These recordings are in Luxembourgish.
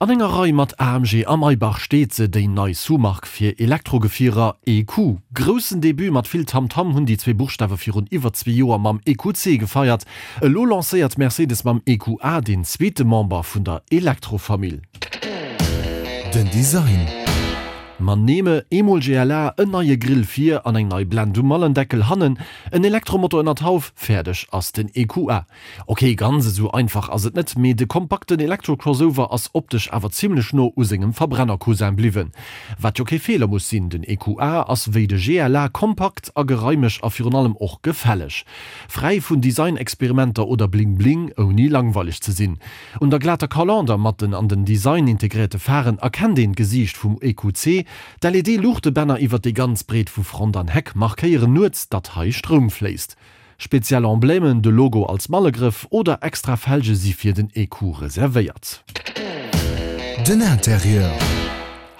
An enger Rei mat AMG a Maybach steet se, déi nei Sous-Mark fir Elektrogefierer, EQ. Groussen Debut mat vill Tamtam hunn déi zwee Buchstawe virun iwwer zwee Joer mam EQC gefeiert. Elo lancéiert Mercedes mam EQA deen zweete Member vun der Elektrofamill. Den Design. Ma nehme eemol GLA, en neie Grill vir an eng nei Blend um Mallendeckel hannen, en Elektromotor ënner d'Hauf, fäerdeg ass den EQA. Ok, ganz esou einfach ass et net, mee de kompakten Elektro-Crossover ass optesch awer zimmlech no u sengem Verbrenner-Cousin bliwwen. Wat jo kee Feeler muss sinn, den EQA ass wéi de GLA kompakt a geraimeg a virun allem och gefälleg. Fräi vun Design-Experimenter oder Bling-Bling, ouni langweileg ze sinn. Un der glater Kalander mat den an den Design integréierte Pharen erkennt een d'Gesiicht vum EQC. D'LED-Luuchtebänner iwwer déi ganz Breet vu Front an Heck markéieren nuets, datt hei Stroum fléisst. Speziell Emblemen, de Logo als Mallegrëff oder extra Felge si fir den EQ reservéiert. Den Interieur.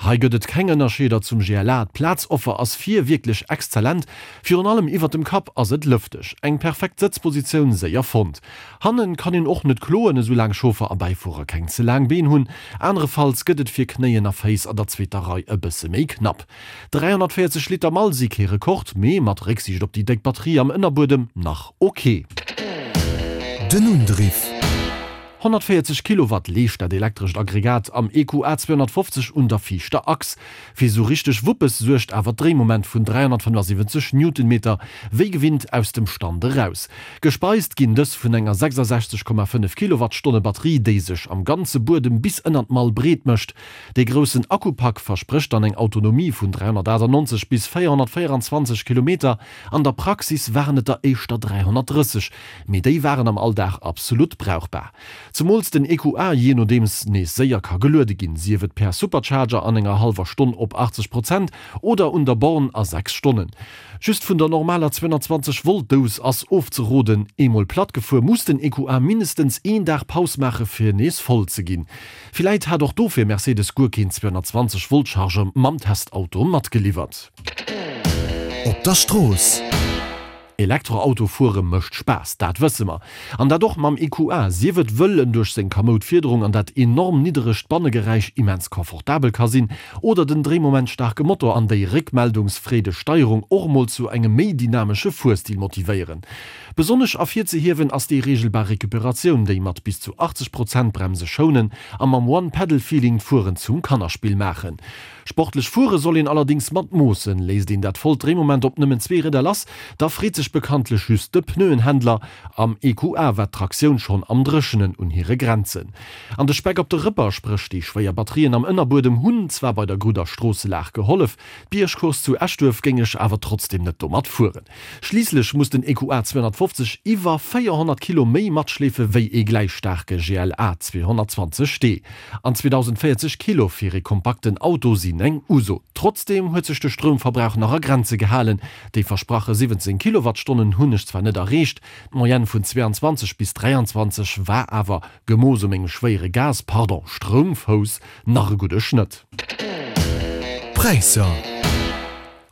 Hei gëtt et keng Ënnerscheeder zum GLA. D'Plazoffer ass vir wierklech exzellent, virun allem iwwert dem Kapp ass et lëfteg. Eng perfekt Sëtzpositioun séier fonnt. Hannen kann een och net kloen, esou laang Chauffer a Bäifuerer keng ze laang Been hunn. Anerefalls gëtt et fir Knéien a Féiss an der zweeter Rei e bësse méi knapp. 340 Liter Mall si kee Rekord, mee mat Récksiicht op déi déck Batterie am Ënnerbuedem nach ok. Den Undriff. 140 Kilowatt leescht dat elektrescht Aggregat am EQA 250 un der viischter Achs. Fir sou richteg Wuppes suergt awer d'Dréimoment vun 375 Newtonmeter, wéi gewinnt aus dem Stand eraus. Gespeist ginn dës vun enger 66,5 Kilowattstonne Batterie, déi sech am ganze Buedem bis ënner d'Mall breet mécht. Dee groussen Akkupak versprécht dann eng Autonomie vun 398 bis 424 Kilometer, an der Praxis waren et der éischter 330, mee déi waren am Alldag absolut brauchbar. Zemools den EQA jee nodeems nees séier ka geluede ginn, sief et per Supercharger an enger hallwer Stonn op 80 Prozent oder un der Born a 6 Stonnen. Just vun der normaler 220 Volt Dous ass ofzeroden. Eemol platt gefuer muss den EQA mindestens een Dag Paus maache fir nees voll ze ginn. Villäit hat och dofir Mercedes guer keen 220 Volt Charger mam Testauto matgeliwwert. Op der Strooss. Elektroauto fuere mécht Spaass, dat wësse mer. An dat och mam EQA, sief et wëll en duerch seng kamoud Fiederung an dat enorm nidderegt Bannegeräisch immens confortabel ka sinn, oder den dréimomentstaarke Motor an déi réckmeldungsfreedeg Steierung och mol zu engem méi dynamesche Fuerstil motivéieren. Besonnesch ervirzehiewen ass déi reegelbar Recuperatioun, déi mat bis zu 80 Prozent Bremse schounen a mam One-Pedal-Feeling d'Fueren zum Kannerspill maachen. Sportlech fuere soll een allerdéngs mat Moossen. Léisst een dat vollt Dréimoment op nëmmen zwee Rieder lass, da freet sech bekanntlech just de Pneuenhändler. Am EQA war d'Traktioun schonn am Dréchenen un hire Grenzen. An de Speck op de Rëpper, spréch déi schwéier Batterien am Ënnerbuedem, hunn zwar bei der gudder Stroosselag gehollef, d'Biergcourse zu Eschduerf géing ech awer trotzdem net domat fueren. Schliisslech muss den EQA 250 iwwer 400 Kilo méi matschleefe wéi ee gläich staarke GLA 220 D. An 2040 Kilo fir ee kompakten Auto sinn eng Uso. Trotzdeem huet sech de Stroumverbrauch nach a Grenze gehalen. Déi versprache 17 Kilowattstonnen hunn ech zwar net erreecht, d'Moyenne vun 22 bis 23 war awer, gemooss u mengem schwéiere Gas, pardon, Stroumfouss, nach e gudde Schnëtt. Präisser.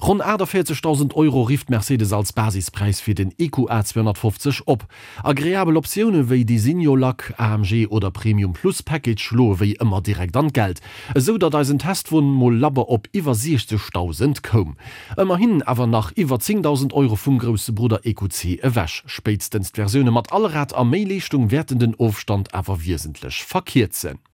Ronn 48.000 Euro rifft Mercedes als Basispräis fir den EQA 250 op. Agreabel Optioune wéi Designo Lack, AMG oder Premium Plus Package schloe wéi ëmmer direkt an d'Geld, esou datt eisen Testwon mol labber op iwwer 60.000 koum. Ëmmerhin awer nach iwwer 10.000 Euro vum grousse Brudder EQC ewech. Spéitstens d'Versioune mat Allrad a méi Leeschtung wäerten den Ofstand awer wiesentlech verkierzen.